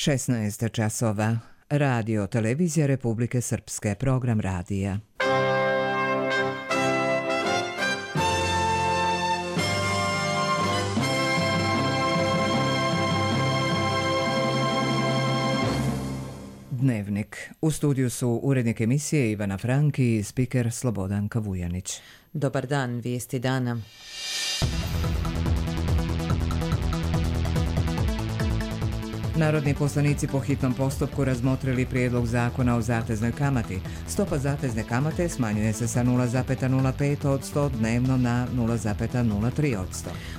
16 časova. Radio Televizija Republike Srpske, program radija. Dnevnik. U studiju su urednik emisije Ivana Franki i spiker Slobodanka Vujanić. Dobar dan, vijesti dana. Narodni poslanici po hitnom postupku razmotrili prijedlog zakona o zateznoj kamati. Stopa zatezne kamate smanjuje se sa 0,05% dnevno na 0,03%.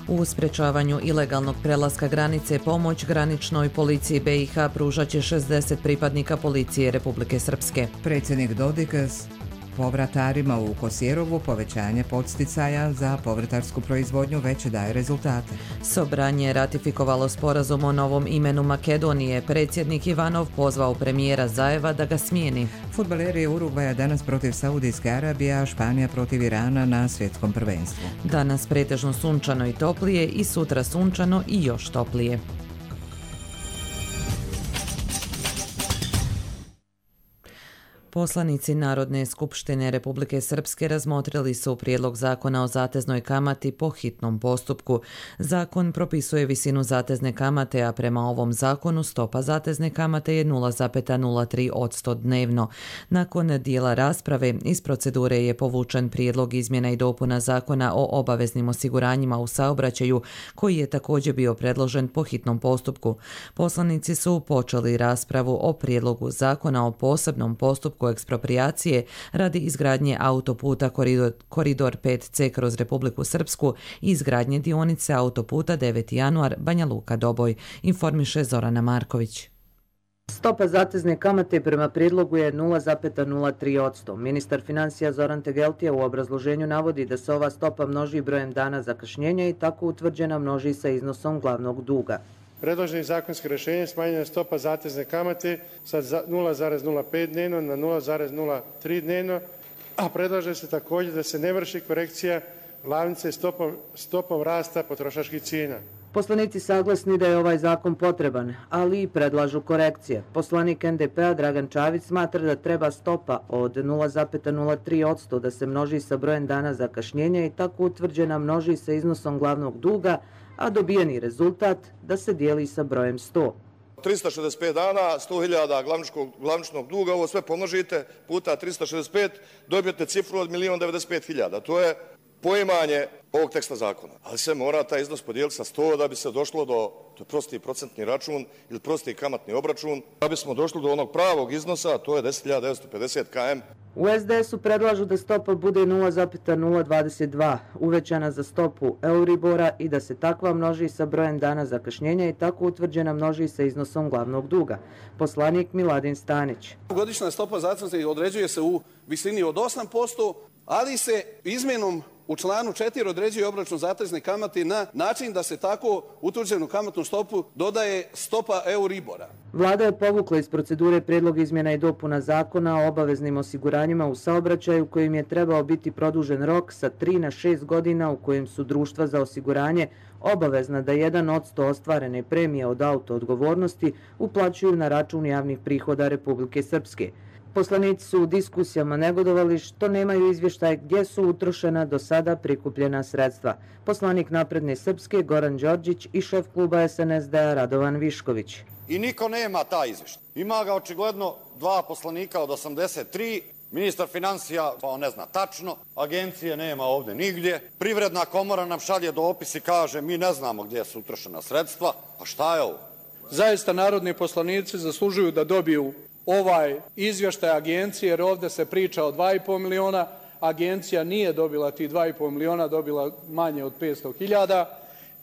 U sprečavanju ilegalnog prelaska granice pomoć graničnoj policiji BiH pružat će 60 pripadnika policije Republike Srpske. Predsjednik Dodik povratarima u Kosjerovu povećanje podsticaja za povrtarsku proizvodnju već daje rezultate. Sobranje je ratifikovalo sporazum o novom imenu Makedonije. Predsjednik Ivanov pozvao premijera Zajeva da ga smijeni. Fudbaleri Urugvaja danas protiv Saudijske Arabije, a Španija protiv Irana na svjetskom prvenstvu. Danas pretežno sunčano i toplije i sutra sunčano i još toplije. Poslanici Narodne skupštine Republike Srpske razmotrili su prijedlog zakona o zateznoj kamati po hitnom postupku. Zakon propisuje visinu zatezne kamate, a prema ovom zakonu stopa zatezne kamate je 0,03% dnevno. Nakon dijela rasprave iz procedure je povučen prijedlog izmjena i dopuna zakona o obaveznim osiguranjima u saobraćaju, koji je također bio predložen po hitnom postupku. Poslanici su počeli raspravu o prijedlogu zakona o posebnom postupku eksproprijacije radi izgradnje autoputa Koridor 5C kroz Republiku Srpsku i izgradnje dionice autoputa 9. januar Banja Luka Doboj, informiše Zorana Marković. Stopa zatezne kamate prema prijedlogu je 0,03%. Ministar financija Zoran Tegeltija u obrazloženju navodi da se ova stopa množi brojem dana zakašnjenja i tako utvrđena množi sa iznosom glavnog duga. Predloženim zakonskim rješenjem smanjena je stopa zatezne kamate sa 0,05 dnevno na 0,03 dnevno, a predlaže se također da se ne vrši korekcija glavnice stopom rasta potrošačkih cijena. Poslanici saglasni da je ovaj zakon potreban, ali i predlažu korekcije. Poslanik NDP-a Dragan Čavić smatra da treba stopa od 0,03% da se množi sa brojem dana zakašnjenja i tako utvrđena množi sa iznosom glavnog duga, a dobijeni rezultat da se dijeli sa brojem 100. 365 dana, 100.000 glavničnog duga, ovo sve pomnožite puta 365, dobijete cifru od 1.095.000. To je poimanje ovog teksta zakona. Ali se mora taj iznos podijeliti sa 100 da bi se došlo do prosti procentni račun ili prosti kamatni obračun. Da bismo došli do onog pravog iznosa, to je 10.950 km. U SDS-u predlažu da stopa bude 0,022, uvećana za stopu Euribora i da se takva množi sa brojem dana zakašnjenja i tako utvrđena množi sa iznosom glavnog duga. Poslanik Miladin Stanić. Godišnja stopa zatezne određuje se u visini od 8%, ali se izmjenom u članu 4 određuje obračun zatezne kamate na način da se tako utvrđenu kamatnu stopu dodaje stopa Euribora. Vlada je povukla iz procedure prijedlog izmjena i dopuna zakona o obaveznim osiguranjima u saobraćaju kojim je trebao biti produžen rok sa 3 na 6 godina u kojem su društva za osiguranje obavezna da 1% ostvarene premije od auto odgovornosti uplaćuju na račun javnih prihoda Republike Srpske. Poslanici su u diskusijama negodovali što nemaju izvještaj gdje su utrošena do sada prikupljena sredstva. Poslanik Napredne Srpske Goran Đorđić i šef kluba SNSD-a Radovan Višković. I niko nema taj izvještaj. Ima ga očigledno 2 poslanika od 83, ministar financija pa on ne zna tačno, agencije nema ovdje nigdje, Privredna komora nam šalje dopis i kaže mi ne znamo gdje su utrošena sredstva, a šta je ovo? Zaista narodni poslanici zaslužuju da dobiju ovaj izvještaj agencije, jer ovdje se priča o 2,5 miliona, agencija nije dobila ti 2,5 miliona, dobila manje od 500.000,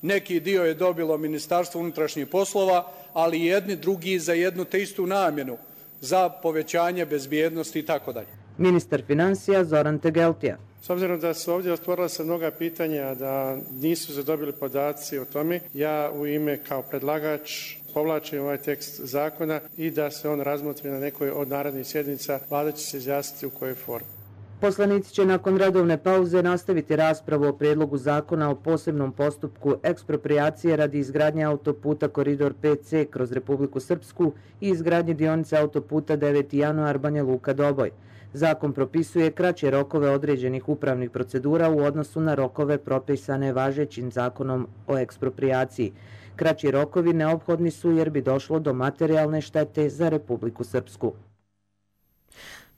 neki dio je dobilo Ministarstvo unutrašnjih poslova, ali jedni drugi za jednu te istu namjenu, za povećanje bezbjednosti i tako dalje. Ministar financija Zoran Tegeltija. S obzirom da su ovdje otvorila se mnoga pitanja, da nisu se dobili podaci o tome, ja u ime kao predlagač povlačim ovaj tekst zakona i da se on razmotri na nekoj od narednih sjednica, Vlada će se izjasniti u kojoj formi. Poslanici će nakon redovne pauze nastaviti raspravu o prijedlogu zakona o posebnom postupku eksproprijacije radi izgradnje autoputa Koridor 5C kroz Republiku Srpsku i izgradnje dionice autoputa 9. januar Banja Luka Doboj. Zakon propisuje kraće rokove određenih upravnih procedura u odnosu na rokove propisane važećim zakonom o eksproprijaciji. Kraći rokovi neophodni su jer bi došlo do materijalne štete za Republiku Srpsku.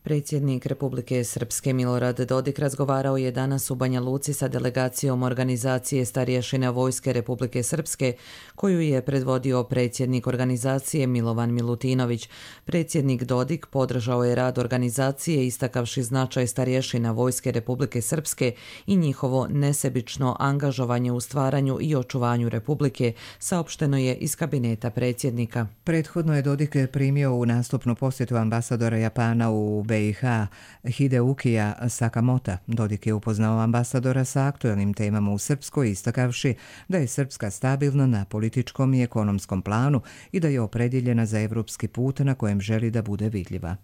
Predsjednik Republike Srpske Milorad Dodik razgovarao je danas u Banja Luci sa delegacijom organizacije Starješina Vojske Republike Srpske, koju je predvodio predsjednik organizacije Milovan Milutinović. Predsjednik Dodik podržao je rad organizacije istakavši značaj starješina Vojske Republike Srpske i njihovo nesebično angažovanje u stvaranju i očuvanju Republike, saopšteno je iz kabineta predsjednika. Prethodno je Dodik primio u nastupnu posjetu ambasadora Japana u BiH Hideukija Sakamota. Dodik je upoznao ambasadora sa aktuelnim temama u Srpskoj, istakavši da je Srpska stabilna na političkom i ekonomskom planu i da je opredjeljena za evropski put na kojem želi da bude vidljiva.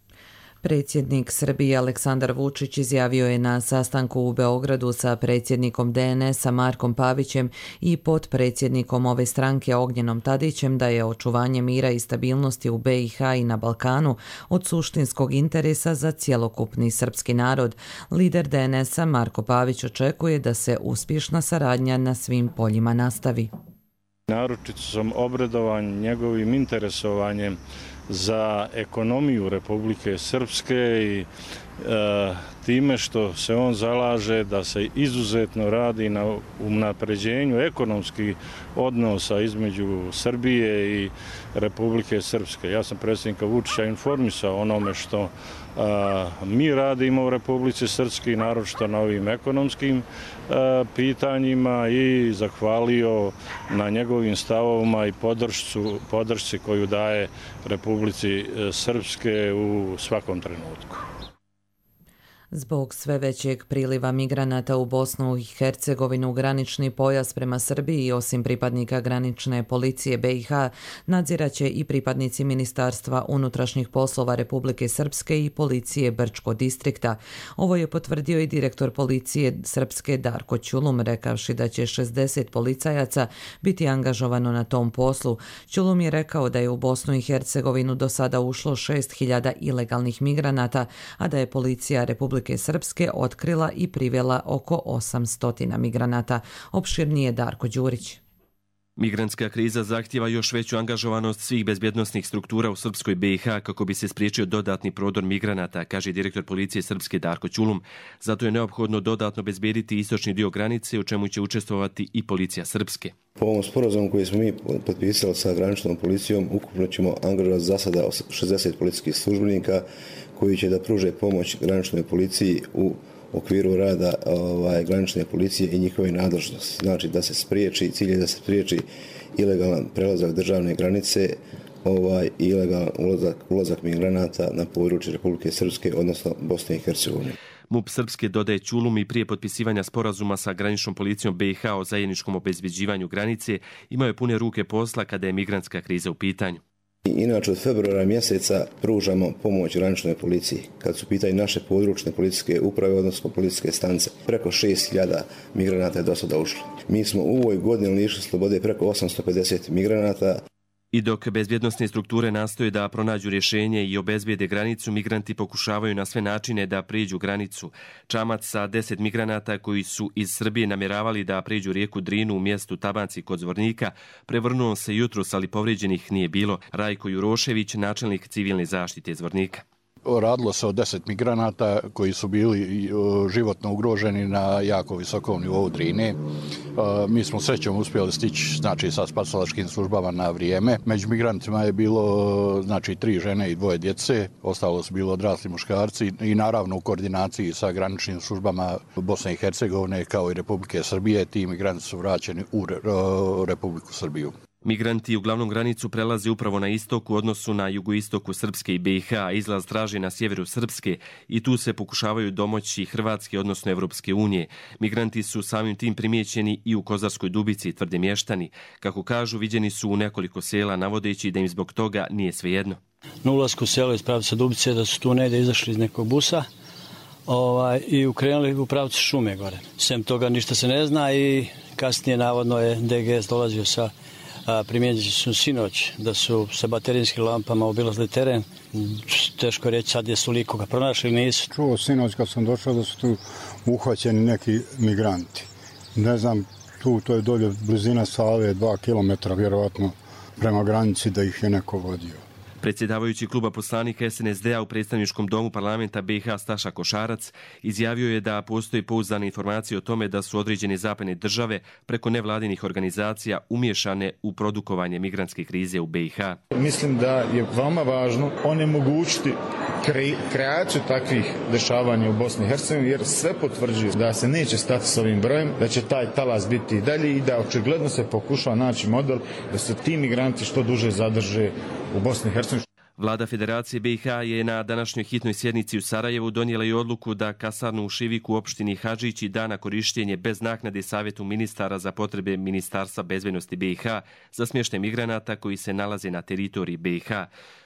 Predsjednik Srbije Aleksandar Vučić izjavio je na sastanku u Beogradu sa predsjednikom DNS-a Markom Pavićem i potpredsjednikom ove stranke Ognjenom Tadićem da je očuvanje mira i stabilnosti u BiH i na Balkanu od suštinskog interesa za cjelokupni srpski narod. Lider DNS-a Marko Pavić očekuje da se uspješna saradnja na svim poljima nastavi. Naročito sam obradovan njegovim interesovanjem za ekonomiju Republike Srpske i time što se on zalaže da se izuzetno radi na unapređenju ekonomskih odnosa između Srbije i Republike Srpske. Ja sam predsjednika Vučića informisao onome što mi radimo u Republici Srpskoj, naročito na ovim ekonomskim pitanjima i zahvalio na njegovim stavovima i podršci koju daje Republici Srpske u svakom trenutku. Zbog sve većeg priliva migranata u Bosnu i Hercegovinu, granični pojas prema Srbiji, osim pripadnika granične policije BiH, nadziraće i pripadnici Ministarstva unutrašnjih poslova Republike Srpske i policije Brčko distrikta. Ovo je potvrdio i direktor policije Srpske Darko Ćulum, rekavši da će 60 policajaca biti angažovano na tom poslu. Ćulum je rekao da je u Bosnu i Hercegovinu do sada ušlo 6.000 ilegalnih migranata, a da je policija Republike Srpske otkrila i privela oko 800 migranata. Opširnije Darko Đurić. Migrantska kriza zahtijeva još veću angažovanost svih bezbjednosnih struktura u Srpskoj BiH kako bi se spriječio dodatni prodor migranata, kaže direktor policije Srpske Darko Ćulum. Zato je neophodno dodatno bezbjediti istočni dio granice, u čemu će učestvovati i policija Srpske. Po ovom sporazumu koji smo mi potpisali sa graničnom policijom, ukupno ćemo angažovati za sada 60 policijskih službenika koji će da pruže pomoć graničnoj policiji u okviru rada granične policije i njihove nadležnosti. Znači da se spriječi, cilj je da se spriječi ilegalan prelazak državne granice, ilegalan ulazak migranata na područje Republike Srpske, odnosno Bosne i Hercegovine. MUP Srpske, dodaje Ćulum, i prije potpisivanja sporazuma sa graničnom policijom BiH o zajedničkom obezbeđivanju granice, imao je pune ruke posla kada je migrantska kriza u pitanju. Inače, od februara mjeseca pružamo pomoć graničnoj policiji. Kad su pitanje naše područne policijske uprave, odnosno policijske stanice, preko 6.000 migranata je do sada ušlo. Mi smo u ovoj godini lišili slobode preko 850 migranata. I dok bezbjednosne strukture nastoje da pronađu rješenje i obezbijede granicu, migranti pokušavaju na sve načine da prijeđu granicu. Čamac sa 10 migranata koji su iz Srbije namjeravali da prijeđu rijeku Drinu u mjestu Tabanci kod Zvornika prevrnuo se jutros, ali povrijeđenih nije bilo. Rajko Jurošević, načelnik civilne zaštite Zvornika. Radilo se o 10 migranata koji su bili životno ugroženi na jako visokom nivou Drine. Mi smo srećom uspjeli stići sa spasilačkim službama na vrijeme. Među migrantima je bilo 3 žene i 2 djece, ostalo su bilo odrasli muškarci i naravno u koordinaciji sa graničnim službama Bosne i Hercegovine kao i Republike Srbije ti migranti su vraćeni u Republiku Srbiju. Migranti uglavnom granicu prelaze upravo na istoku u odnosu na jugoistoku Srpske i BiH, a izlaz traži na sjeveru Srpske i tu se pokušavaju domoći Hrvatske, odnosno Evropske unije. Migranti su samim tim primijećeni i u Kozarskoj Dubici, tvrde mještani. Kako kažu, viđeni su u nekoliko sela, navodeći da im zbog toga nije svejedno. Na ulasku u selo iz pravca Dubice da su tu negdje izašli iz nekog busa, i ukrenuli u pravcu šume gore. Sem toga ništa se ne zna i kasnije navodno je DGS dolazio sa primjenjujući su sinoć da su sa baterijskim lampama obilazili teren. Teško reći sad jesu li koga pronašli ili nisu. Čuo sinoć kad sam došao da su tu uhvaćeni neki migranti. Ne znam, to je dolje blizina Save, 2 kilometra vjerovatno prema granici da ih je neko vodio. Predsjedavajući kluba poslanika SNSD-a u predstavničkom domu parlamenta BiH Staša Košarac izjavio je da postoji pouzdane informacije o tome da su određene zapadne države preko nevladinih organizacija umiješane u produkovanje migrantske krize u BiH. Mislim da je veoma važno onemogućiti kreaciju takvih dešavanja u Bosni i Hercegovini, jer sve potvrđuje da se neće stati s ovim brojem, da će taj talas biti i dalje i da očigledno se pokušava naći model da se ti migranti što duže zadrže u Bosni i Hercegovini. Vlada Federacije BiH je na današnjoj hitnoj sjednici u Sarajevu donijela i odluku da kasarnu u Šiviku u opštini Hadžići da na korištenje bez naknade Savjetu ministara za potrebe Ministarstva bezbednosti BiH za smještaj migranata koji se nalaze na teritoriji BiH.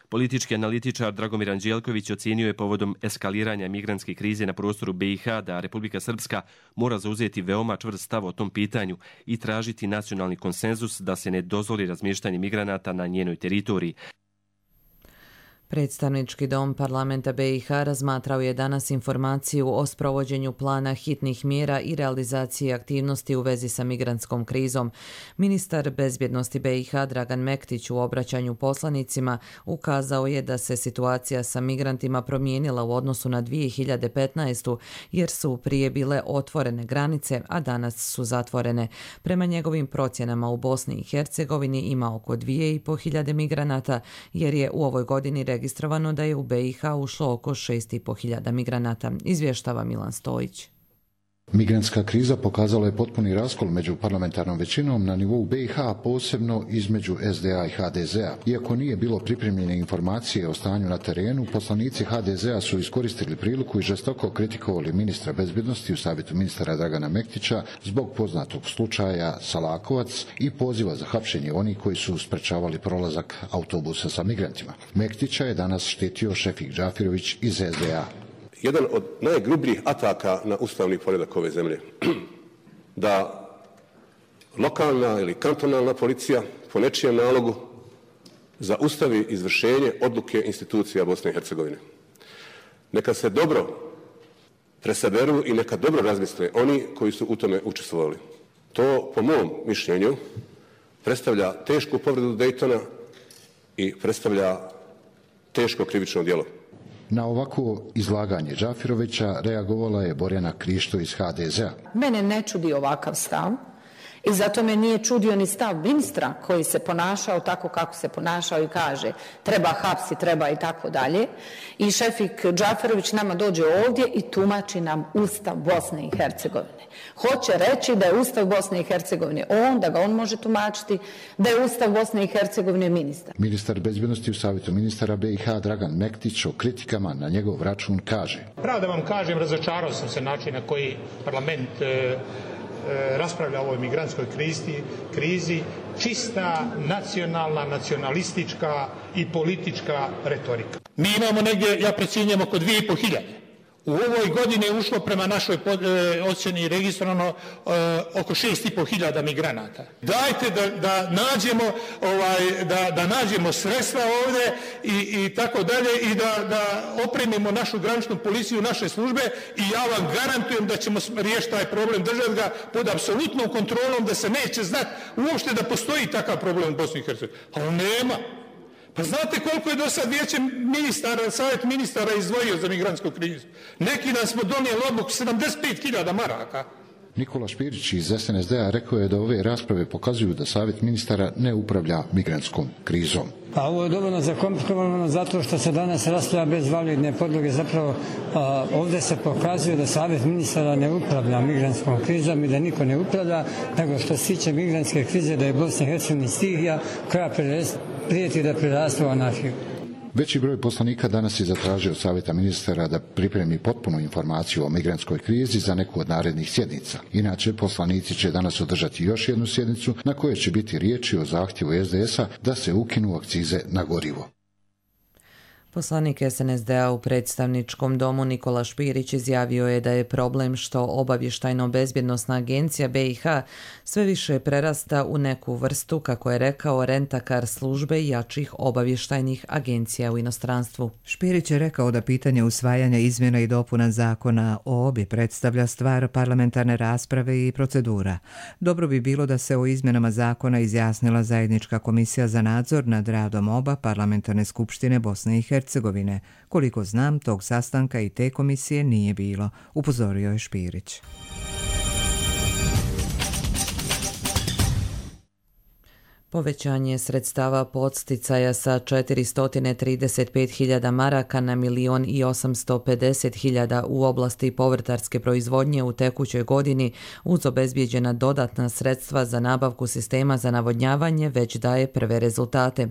Politički analitičar Dragomir Anđelković ocijenio je povodom eskaliranja migrantske krize na prostoru BiH da Republika Srpska mora zauzeti veoma čvrst stav o tom pitanju i tražiti nacionalni konsenzus da se ne dozvoli razmještanje migranata na njenoj teritoriji. Predstavnički dom parlamenta BiH razmatrao je danas informaciju o sprovođenju plana hitnih mjera i realizaciji aktivnosti u vezi sa migrantskom krizom. Ministar bezbjednosti BiH Dragan Mektić u obraćanju poslanicima ukazao je da se situacija sa migrantima promijenila u odnosu na 2015. jer su prije bile otvorene granice, a danas su zatvorene. Prema njegovim procjenama u Bosni i Hercegovini ima oko 2.500 migranata jer je u ovoj godini registrovano da je u BiH ušlo oko 6.500 migranata, izvještava Milan Stojić. Migrantska kriza pokazala je potpuni raskol među parlamentarnom većinom na nivou BiH, posebno između SDA i HDZ-a. Iako nije bilo pripremljene informacije o stanju na terenu, poslanici HDZ-a su iskoristili priliku i žestoko kritikovali ministra bezbjednosti u Savjetu ministara Dragana Mektića zbog poznatog slučaja Salakovac i poziva za hapšenje onih koji su sprečavali prolazak autobusa sa migrantima. Mektića je danas štitio Šefik Džafirović iz SDA. Jedan od najgrubljih ataka na ustavni poredak ove zemlje. Da lokalna ili kantonalna policija po nečijem nalogu zaustavi izvršenje odluke institucija Bosne i Hercegovine. Neka se dobro presaberu i neka dobro razmisle oni koji su u tome učestvovali. To, po mom mišljenju, predstavlja tešku povredu Dejtona i predstavlja teško krivično djelo. Na ovako izlaganje Džafirovića reagovala je Borjana Krišto iz HDZ-a. Mene ne čudi ovakav stav i zato me nije čudio ni stav ministra koji se ponašao tako kako se ponašao i kaže treba hapsi, treba i tako dalje. I Šefik Džafirović nama dođe ovdje i tumači nam Ustav Bosne i Hercegovine. Hoće reći da je Ustav Bosne i Hercegovine da ga on može tumačiti, da je Ustav Bosne i Hercegovine ministar. Ministar bezbjednosti u Savjetu ministara BiH Dragan Mektić o kritikama na njegov račun kaže: Pravo da vam kažem, razočarao sam se način na koji parlament raspravlja o ovoj migrantskoj krizi, čista nacionalna, nacionalistička i politička retorika. Mi imamo negdje, ja procjenjujem, oko 2.500. U ovoj godini je ušlo prema našoj ocjeni registrovano oko 6.500 migranata. Dajte da nađemo sredstva ovdje i tako dalje i da opremimo našu graničnu policiju, naše službe i ja vam garantujem da ćemo riješiti taj problem, držati ga pod apsolutnom kontrolom, da se neće znati uopšte da postoji takav problem u Bosni i Hercegovini. Ali nema. Pa znate koliko je do sad vijeće ministara, savjet ministara izdvojio za migrantsku krizu? Neki dan smo donijeli odluku 75.000 maraka. Nikola Špirić iz SNSD-a rekao je da ove rasprave pokazuju da savjet ministara ne upravlja migrantskom krizom. Pa ovo je dovoljno zakomplikovano zato što se danas raspravlja bez validne podloge. Zapravo ovdje se pokazuje da savjet ministara ne upravlja migrantskom krizom i da niko ne upravlja, nego što se tiče migrantske krize da je Bosna i Hercegovina stihija koja prijeti da preraste u anarhiju. Veći broj poslanika danas je zatražio od Savjeta ministara da pripremi potpunu informaciju o migrantskoj krizi za neku od narednih sjednica. Inače, poslanici će danas održati još jednu sjednicu na kojoj će biti riječi o zahtjevu SDS-a da se ukinu akcize na gorivo. Poslanik SNSD-a u predstavničkom domu Nikola Špirić izjavio je da je problem što obavještajno-bezbjednosna agencija BiH sve više prerasta u neku vrstu, kako je rekao, rentakar službe jačih obavještajnih agencija u inostranstvu. Špirić je rekao da pitanje usvajanja izmjena i dopuna zakona o OBI predstavlja stvar parlamentarne rasprave i procedura. Dobro bi bilo da se o izmjenama zakona izjasnila zajednička komisija za nadzor nad radom oba parlamentarne skupštine Bosne i Hercegovine. Koliko znam, tog sastanka i te komisije nije bilo, upozorio je Špirić. Povećanje sredstava podsticaja sa 435.000 maraka na 1.850.000 u oblasti povrtarske proizvodnje u tekućoj godini uz obezbijeđena dodatna sredstva za nabavku sistema za navodnjavanje već daje prve rezultate.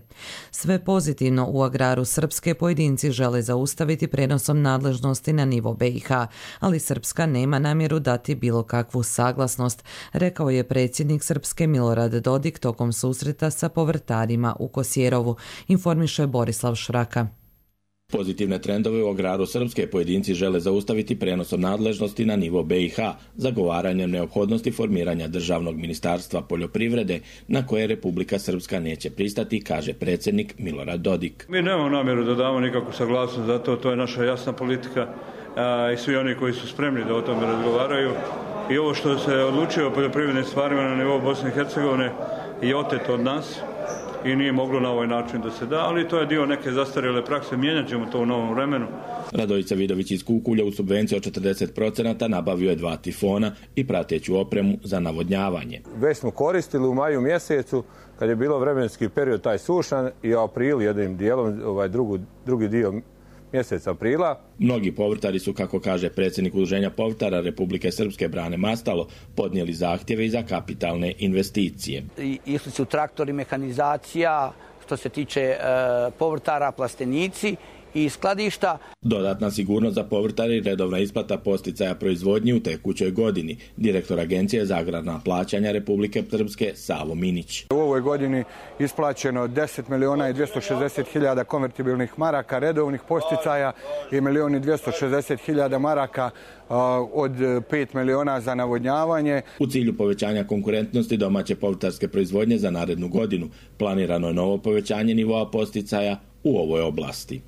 Sve pozitivno u agraru Srpske pojedinci žele zaustaviti prenosom nadležnosti na nivo BiH, ali Srpska nema namjeru dati bilo kakvu saglasnost, rekao je predsjednik Srpske Milorad Dodik tokom susreta sa povrtarima u Kosjerovu, informiše Borislav Šraka. Pozitivne trendove u agraru Srpske pojedinci žele zaustaviti prenosom nadležnosti na nivo BiH, zagovaranjem neophodnosti formiranja državnog ministarstva poljoprivrede na koje Republika Srpska neće pristati, kaže predsjednik Milorad Dodik. Mi nemamo namjeru da damo nikakvu saglasnost za to, to je naša jasna politika i svi oni koji su spremni da o tome razgovaraju. I ovo što se odlučio o poljoprivrednim stvarima na nivou Bosne i Hercegovine je oteto od nas i nije moglo na ovaj način da se da, ali to je dio neke zastarjele prakse, mijenjat ćemo to u novom vremenu. Radojica Vidović iz Kukulja u subvenciju od 40% nabavio je 2 tifona i prateću opremu za navodnjavanje. Već smo koristili u maju mjesecu kad je bilo vremenski period taj sušan i april jednim dijelom, drugi dio mjeseca aprila. Mnogi povrtari su, kako kaže predsjednik Udruženja povrtara Republike Srpske Brane Mastalo, podnijeli zahtjeve i za kapitalne investicije. Išli su traktori, mehanizacija, što se tiče povrtara, plastenici i skladišta. Dodatna sigurnost za povrtare i redovna isplata posticaja proizvodnji u tekućoj godini. Direktor Agencije za agrarna plaćanja Republike Srpske Savo Minić. U ovoj godini isplaćeno 10.260.000 konvertibilnih maraka redovnih posticaja i 1.260.000 maraka od 5 miliona za navodnjavanje. U cilju povećanja konkurentnosti domaće povrtarske proizvodnje za narednu godinu planirano je novo povećanje nivoa posticaja u ovoj oblasti.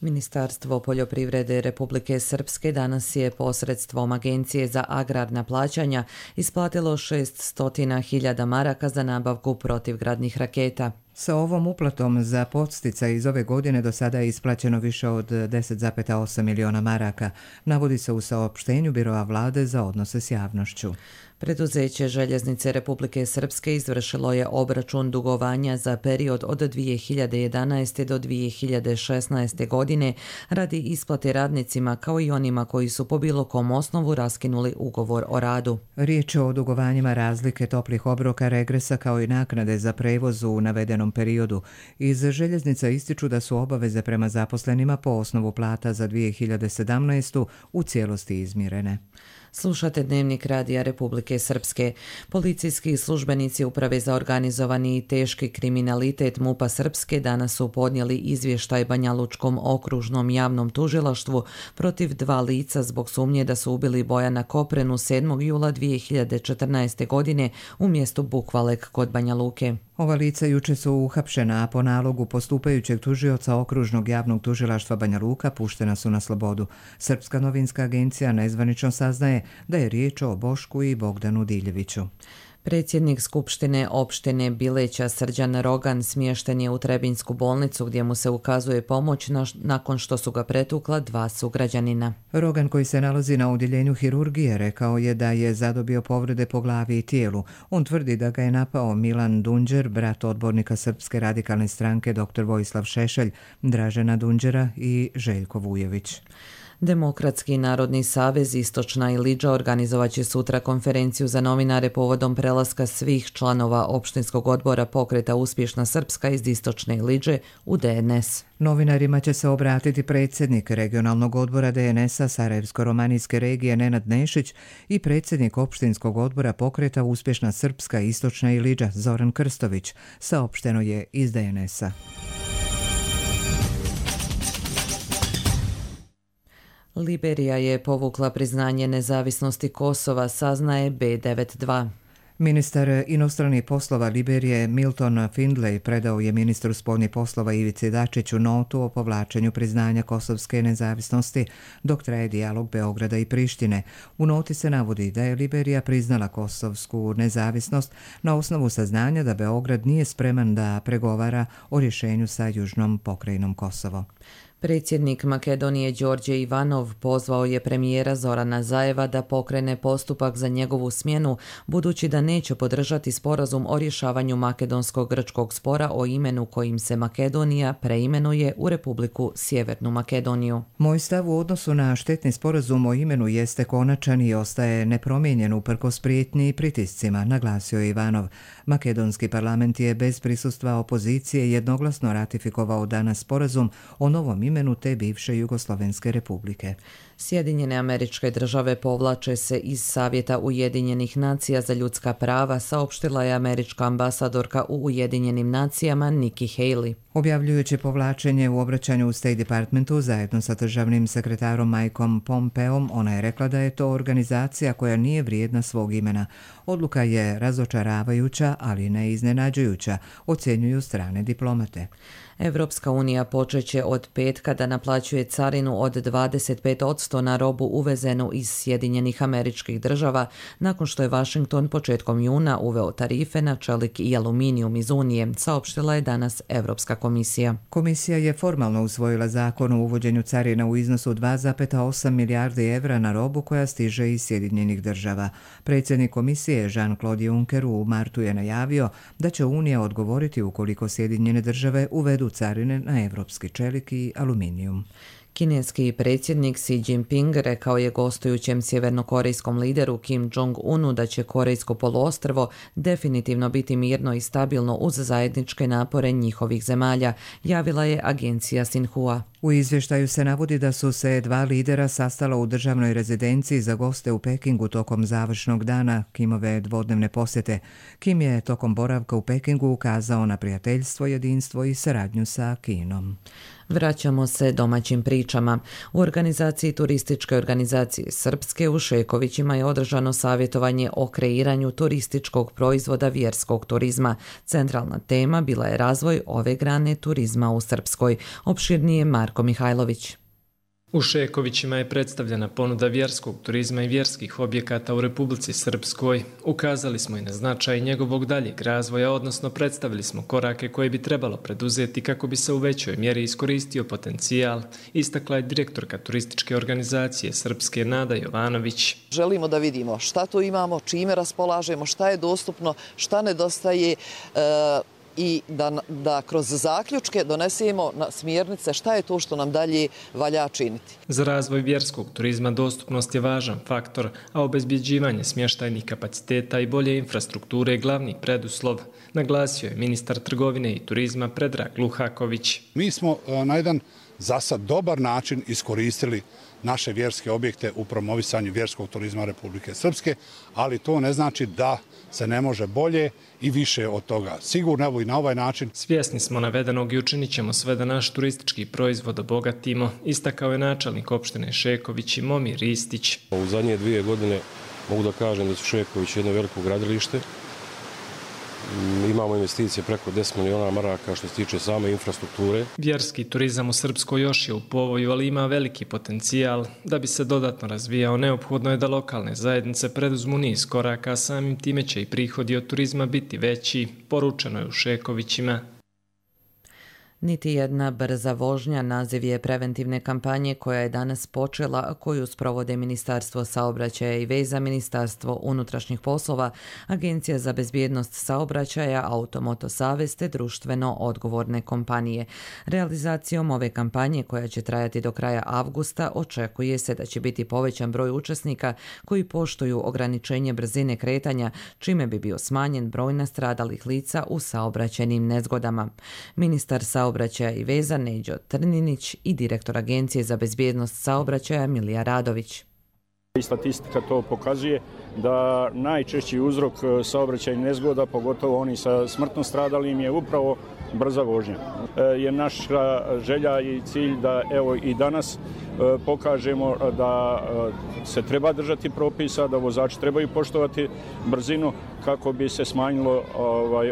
Ministarstvo poljoprivrede Republike Srpske danas je posredstvom Agencije za agrarna plaćanja isplatilo 600.000 maraka za nabavku protivgradnih raketa. Sa ovom uplatom za podsticaj iz ove godine do sada je isplaćeno više od 10,8 miliona maraka, navodi se u saopštenju Biroa vlade za odnose s javnošću. Preduzeće Željeznice Republike Srpske izvršilo je obračun dugovanja za period od 2011. do 2016. godine radi isplate radnicima kao i onima koji su po bilo kom osnovu raskinuli ugovor o radu. Riječ je o dugovanjima razlike toplih obroka, regresa kao i naknade za prevoz u navedenom periodu. Iz Željeznica ističu da su obaveze prema zaposlenima po osnovu plata za 2017. u cijelosti izmirene. Slušate Dnevnik radija Republike Srpske. Policijski službenici Uprave za organizovani i teški kriminalitet MUP-a Srpske danas su podnijeli izvještaj Banjalučkom okružnom javnom tužilaštvu protiv 2 lica zbog sumnje da su ubili Bojana Koprenu 7. jula 2014. godine u mjestu Bukvalek kod Banja Luke. Ova lica juče su uhapšena, a po nalogu postupajućeg tužioca okružnog javnog tužilaštva Banja Luka puštena su na slobodu. Srpska novinska agencija nezvanično saznaje da je riječ o Bošku i Bogdanu Diljeviću. Predsjednik Skupštine opštine Bileća Srđan Rogan smješten je u Trebinsku bolnicu gdje mu se ukazuje pomoć nakon što su ga pretukla 2 sugrađanina. Rogan, koji se nalazi na odjeljenju hirurgije, rekao je da je zadobio povrede po glavi i tijelu. On tvrdi da ga je napao Milan Dunđer, brat odbornika Srpske radikalne stranke dr. Vojislav Šešelj, Dražena Dunđera i Željko Vujović. Demokratski narodni savez Istočna Iliđa organizovat će sutra konferenciju za novinare povodom prelaska svih članova opštinskog odbora pokreta Uspješna Srpska iz Istočne Iliđe u DNS. Novinarima će se obratiti predsjednik regionalnog odbora DNS-a Sarajevsko-romanijske regije Nenad Nešić i predsjednik opštinskog odbora pokreta Uspješna Srpska Istočna Iliđa Zoran Krstović, saopšteno je iz DNS-a. Liberija je povukla priznanje nezavisnosti Kosova, saznaje B92. Ministar inostranih poslova Liberije Milton Findlay predao je ministru spoljnih poslova Ivici Dačiću notu o povlačenju priznanja kosovske nezavisnosti dok traje dijalog Beograda i Prištine. U noti se navodi da je Liberija priznala kosovsku nezavisnost na osnovu saznanja da Beograd nije spreman da pregovara o rješenju sa južnom pokrajinom Kosovo. Predsjednik Makedonije Đorđe Ivanov pozvao je premijera Zorana Zajeva da pokrene postupak za njegovu smjenu, budući da neće podržati sporazum o rješavanju makedonsko-grčkog spora o imenu kojim se Makedonija preimenuje u Republiku Sjevernu Makedoniju. Moj stav u odnosu na štetni sporazum o imenu jeste konačan i ostaje nepromijenjen uprkos prijetnji i pritiscima, naglasio je Ivanov. Makedonski parlament je bez prisustva opozicije jednoglasno ratifikovao danas sporazum o novom imenu te bivše Jugoslovenske republike. Sjedinjene Američke Države povlače se iz Savjeta Ujedinjenih nacija za ljudska prava, saopštila je američka ambasadorka u Ujedinjenim nacijama Nikki Haley. Objavljujući povlačenje u obraćanju u State Departmentu zajedno sa državnim sekretarom Mikeom Pompeom, ona je rekla da je to organizacija koja nije vrijedna svog imena. Odluka je razočaravajuća, ali ne iznenađujuća, ocjenjuju strane diplomate. Evropska unija počeće od petka da naplaćuje carinu od 25% na robu uvezenu iz Sjedinjenih Američkih Država, nakon što je Washington početkom juna uveo tarife na čelik i aluminijum iz Unije, saopštila je danas Evropska komisija. Komisija je formalno usvojila zakon o uvođenju carina u iznosu 2,8 milijardi evra na robu koja stiže iz Sjedinjenih Država. Predsjednik komisije Jean-Claude Juncker u martu je najavio da će Unija odgovoriti ukoliko Sjedinjene Države uvedu carine na evropski čelik i aluminijum. Kineski predsjednik Xi Jinping rekao je gostujućem sjevernokorejskom lideru Kim Jong-unu da će Korejsko poluostrvo definitivno biti mirno i stabilno uz zajedničke napore njihovih zemalja, javila je agencija Sinhua. U izvještaju se navodi da su se dva lidera sastala u državnoj rezidenciji za goste u Pekingu tokom završnog dana Kimove dvodnevne posjete. Kim je tokom boravka u Pekingu ukazao na prijateljstvo, jedinstvo i saradnju sa Kinom. Vraćamo se domaćim pričama. U organizaciji Turističke organizacije Srpske u Šekovićima je održano savjetovanje o kreiranju turističkog proizvoda vjerskog turizma. Centralna tema bila je razvoj ove grane turizma u Srpskoj. Opširnije Marko Mihajlović. U Šekovićima je predstavljena ponuda vjerskog turizma i vjerskih objekata u Republici Srpskoj. Ukazali smo i na značaj njegovog daljeg razvoja, odnosno predstavili smo korake koje bi trebalo preduzeti kako bi se u većoj mjeri iskoristio potencijal, istakla je direktorka Turističke organizacije Srpske Nada Jovanović. Želimo da vidimo šta tu imamo, čime raspolažemo, šta je dostupno, šta nedostaje, i da kroz zaključke donesemo smjernice šta je to što nam dalje valja činiti. Za razvoj vjerskog turizma dostupnost je važan faktor, a obezbjeđivanje smještajnih kapaciteta i bolje infrastrukture je glavni preduslov, naglasio je ministar trgovine i turizma Predrag Luhaković. Mi smo na jedan za sad dobar način iskoristili naše vjerske objekte u promovisanju vjerskog turizma Republike Srpske, ali to ne znači da se ne može bolje i više od toga. Sigurno evo i na ovaj način. Svjesni smo navedenog i učinit ćemo sve da naš turistički proizvod obogatimo, istakao je načelnik opštine Šeković i Momir Ristić. U zadnje 2 godine mogu da kažem da su Šeković jedno veliko gradilište. Imamo investicije preko 10 miliona maraka što se tiče same infrastrukture. Vjerski turizam u Srpskoj još je u povoju, ali ima veliki potencijal. Da bi se dodatno razvijao, neophodno je da lokalne zajednice preduzmu niz koraka, a samim time će i prihodi od turizma biti veći, poručeno je u Šekovićima. Niti jedna brza vožnja naziv je preventivne kampanje koja je danas počela, koju sprovode Ministarstvo saobraćaja i veza, Ministarstvo unutrašnjih poslova, Agencija za bezbjednost saobraćaja, Automoto savez te društveno odgovorne kompanije. Realizacijom ove kampanje, koja će trajati do kraja avgusta, očekuje se da će biti povećan broj učesnika koji poštuju ograničenje brzine kretanja, čime bi bio smanjen broj nastradalih lica u saobraćajnim nezgodama. Ministar saobraćaja i veza Neđo Trninić i direktor Agencije za bezbjednost saobraćaja Milija Radović. Statistika to pokazuje da najčešći uzrok saobraćajnih nezgoda, pogotovo oni sa smrtno stradalim, je upravo brza vožnja. Je naša želja i cilj da evo i danas pokažemo da se treba držati propisa, da vozači trebaju poštovati brzinu kako bi se smanjilo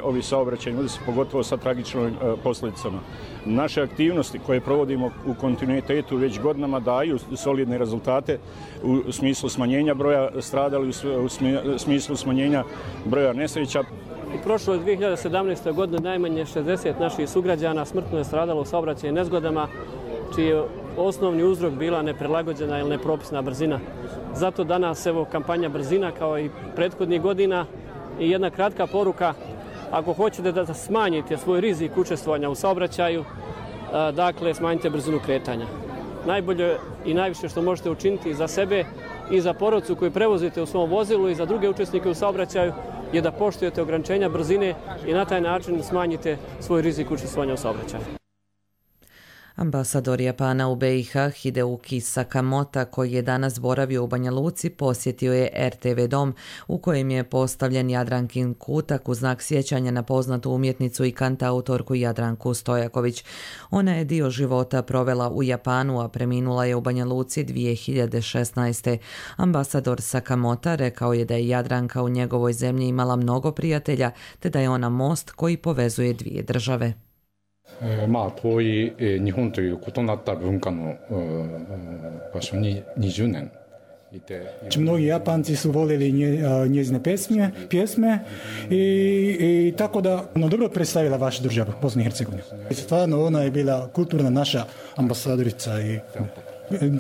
ovi saobraćajni udesi, pogotovo sa tragičnim posljedicama. Naše aktivnosti koje provodimo u kontinuitetu već godinama daju solidne rezultate u smislu smanjenja broja stradalih, u smislu smanjenja broja nesreća. U prošloj 2017. godini najmanje 60 naših sugrađana smrtno je stradalo u saobraćajnim nezgodama, čiji je osnovni uzrok bila neprilagođena ili nepropisna brzina. Zato danas evo kampanja brzina kao i prethodnih godina i jedna kratka poruka. Ako hoćete da smanjite svoj rizik učestvovanja u saobraćaju, dakle smanjite brzinu kretanja. Najbolje i najviše što možete učiniti za sebe i za porodcu koju prevozite u svom vozilu i za druge učesnike u saobraćaju je da poštujete ograničenja brzine i na taj način smanjite svoj rizik učestvovanja u saobraćaju. Ambasador Japana u BiH Hideuki Sakamota, koji je danas boravio u Banja Luci, posjetio je RTV dom u kojem je postavljen Jadrankin kutak u znak sjećanja na poznatu umjetnicu i kantautorku Jadranku Stojaković. Ona je dio života provela u Japanu, a preminula je u Banja Luci 2016. Ambasador Sakamota rekao je da je Jadranka u njegovoj zemlji imala mnogo prijatelja, te da je ona most koji povezuje dvije države. 遠い日本という異なった文化の場所に20年いて。Mnogi Japanci su voljeli njezine pjesme i tako da dobro predstavila vašu državu, Bosnu i Hercegovinu. Stvarno ona je bila kulturna naša ambasadorica i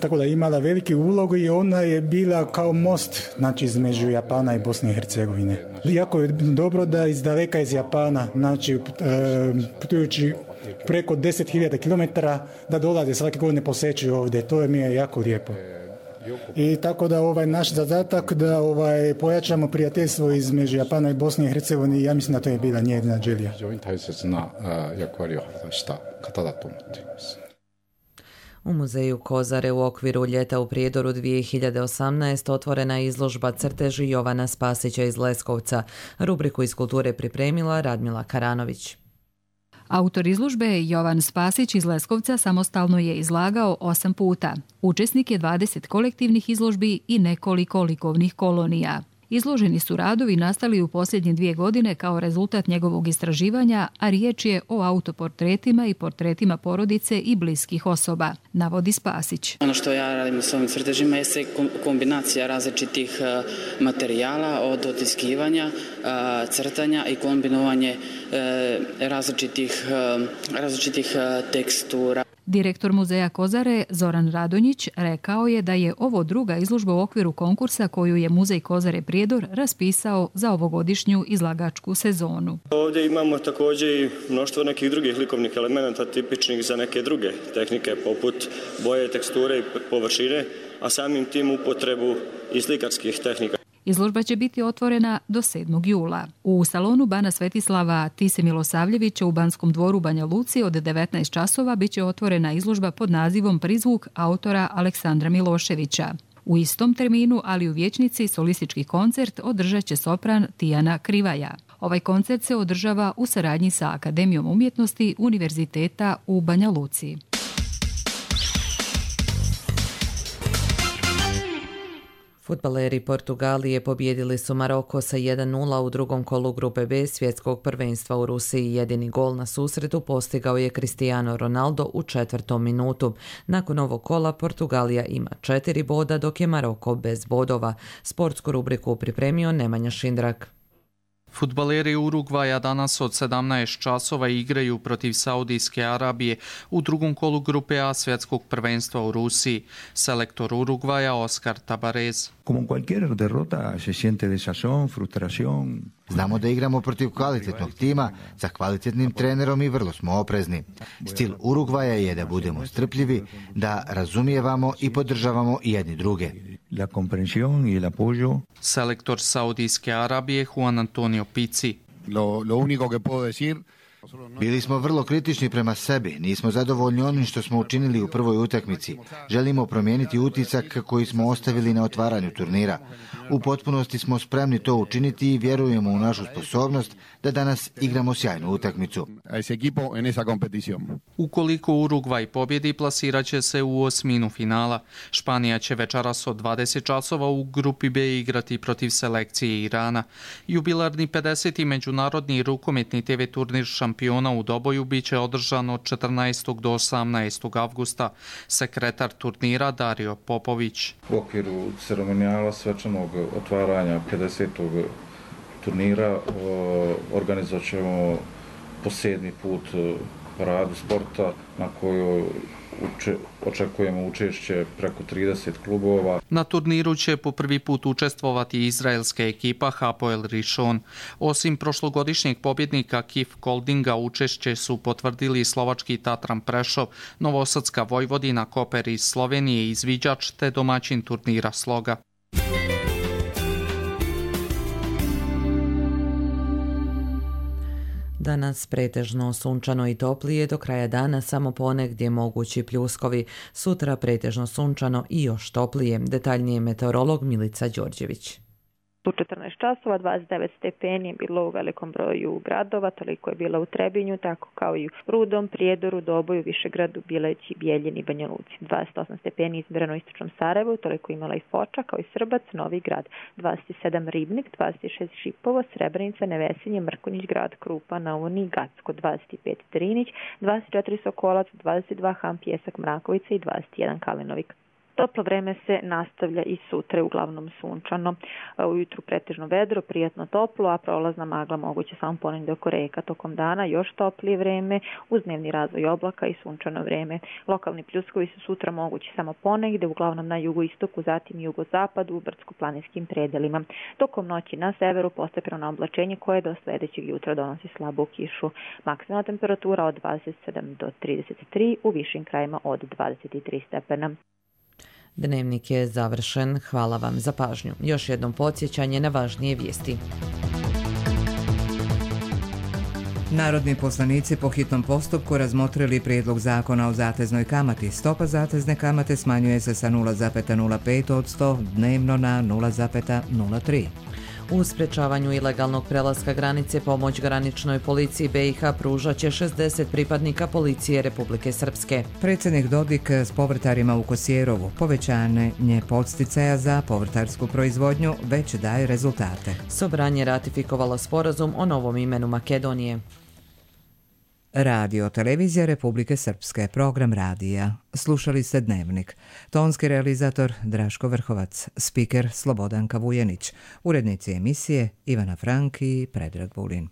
tako da je imala veliki ulogu i ona je bila kao most, znači između Japana i Bosne i Hercegovine. Jako je dobro da iz daleka iz Japana, znači putujući preko 10.000 km da dolaze svake godine posjećuju ovdje. To mi je jako lijepo. I tako da naš zadatak da pojačamo prijateljstvo između Japana i Bosne i Hercegovine, ja mislim da to je bila njena želja. U muzeju Kozare u okviru Ljeta u Prijedoru 2018 otvorena je izložba crteži Jovana Spasića iz Leskovca. Rubriku iz kulture pripremila Radmila Karanović. Autor izložbe Jovan Spasić iz Leskovca samostalno je izlagao 8 puta. Učesnik je 20 kolektivnih izložbi i nekoliko likovnih kolonija. Izloženi su radovi nastali u posljednje 2 godine kao rezultat njegovog istraživanja, a riječ je o autoportretima i portretima porodice i bliskih osoba, navodi Spasić. Ono što ja radim s ovim crtežima je kombinacija različitih materijala, od otiskivanja, crtanja i kombinovanje različitih tekstura. Direktor muzeja Kozare Zoran Radonjić rekao je da je ovo druga izložba u okviru konkursa koju je muzej Kozare Prijedor raspisao za ovogodišnju izlagačku sezonu. Ovdje imamo također i mnoštvo nekih drugih likovnih elemenata tipičnih za neke druge tehnike poput boje, teksture i površine, a samim tim upotrebu i slikarskih tehnika. Izložba će biti otvorena do 7. jula. U salonu Bana Svetislava Tise Milosavljevića u Banskom dvoru Banja Luci od 19 časova bit će otvorena izložba pod nazivom Prizvuk autora Aleksandra Miloševića. U istom terminu, ali u vijećnici, solistički koncert održat će sopran Tijana Krivaja. Ovaj koncert se održava u saradnji sa Akademijom umjetnosti Univerziteta u Banja Luci. Fudbaleri Portugalije pobijedili su Maroko sa 1:0 u drugom kolu grupe B svjetskog prvenstva u Rusiji. Jedini gol na susretu postigao je Cristiano Ronaldo u 4. minutu. Nakon ovog kola Portugalija ima 4 boda, dok je Maroko bez bodova. Sportsku rubriku pripremio Nemanja Šindrak. Fudbaleri Urugvaja danas od 17 časova igraju protiv Saudijske Arabije u drugom kolu grupe A svjetskog prvenstva u Rusiji. Selektor Urugvaja Oskar Tabarez. Znamo da igramo protiv kvalitetnog tima, sa kvalitetnim trenerom i vrlo smo oprezni. Stil Urugvaja je da budemo strpljivi, da razumijevamo i podržavamo jedni druge. Selektor Saudijske Arabije Juan Antonio Pizzi. Lo único que puedo decir Bili smo vrlo kritični prema sebi, nismo zadovoljni onim što smo učinili u prvoj utakmici. Želimo promijeniti utisak koji smo ostavili na otvaranju turnira. U potpunosti smo spremni to učiniti i vjerujemo u našu sposobnost da danas igramo sjajnu utakmicu. Ukoliko Urugvaj pobjedi, plasirat će se u osminu finala. Španija će večeras od 20 časova u grupi B igrati protiv selekcije Irana. Jubilarni 50. međunarodni rukometni TV turnir šampiona u Doboju biće održan od 14. do 18. avgusta. Sekretar turnira Dario Popović. U okviru ceremonijala svečanog otvaranja 50. turnira organizovat ćemo po 7. put paradu sporta na kojoj očekujemo učešće preko 30 klubova. Na turniru će po prvi put učestvovati izraelska ekipa Hapoel Rishon. Osim prošlogodišnjeg pobjednika Kif Koldinga, učešće su potvrdili slovački Tatran Prešov, novosadska Vojvodina, Koper iz Slovenije, izviđač te domaćin turnira Sloga. Danas pretežno sunčano i toplije, do kraja dana samo ponegdje mogući pljuskovi. Sutra pretežno sunčano i još toplije. Detaljnije meteorolog Milica Đorđević. U 14 časova 29 stepeni je bilo u velikom broju gradova, toliko je bilo u Trebinju, tako kao i u Rudom, Prijedoru, Doboju, Višegradu, Bileći, Bijeljini i Banja Luci. 28 stepeni izmjereno u istočnom Sarajevu, toliko imala i Foča, kao i Srbac, Novi Grad. 27 Ribnik, 26 Šipovo, Srebrenica, Nevesinje, Mrkonjić Grad, Krupa, Nauni, Gacko, 25 Drinić, 24 Sokolac, 22 Han, Pjesak, Mrakovica i 21 Kalinovik. Toplo vreme se nastavlja i sutra, uglavnom sunčano. Ujutru pretežno vedro, prijatno toplo, a prolazna magla moguće samo ponegdje oko reka. Tokom dana još toplije vreme, uz dnevni razvoj oblaka i sunčano vreme. Lokalni pljuskovi su sutra mogući samo ponegdje, uglavnom na jugoistoku, zatim jugozapadu, u brdsko-planinskim predelima. Tokom noći na severu postepeno oblačenje koje do sljedećeg jutra donosi slabu kišu. Maksimalna temperatura od 27 do 33, u višim krajima od 23 stepena. Dnevnik je završen. Hvala vam za pažnju. Još jednom podsjećanje na važnije vijesti. Narodni poslanici po hitnom postupku razmotrili prijedlog zakona o zateznoj kamati. Stopa zatezne kamate smanjuje se sa 0,05% dnevno na 0,03%. U sprečavanju ilegalnog prelaska granice pomoć graničnoj policiji BiH pružat će 60 pripadnika policije Republike Srpske. Predsjednik Dodik s povrtarima u Kosjerovu. Povećanje podsticaja za povrtarsku proizvodnju već daje rezultate. Sobranje ratifikovalo sporazum o novom imenu Makedonije. Radio televizija Republike Srpske, program radija. Slušali ste Dnevnik. Tonski realizator Draško Vrhovac, spiker Slobodanka Vujenić, urednici emisije Ivana Frank i Predrag Vulin.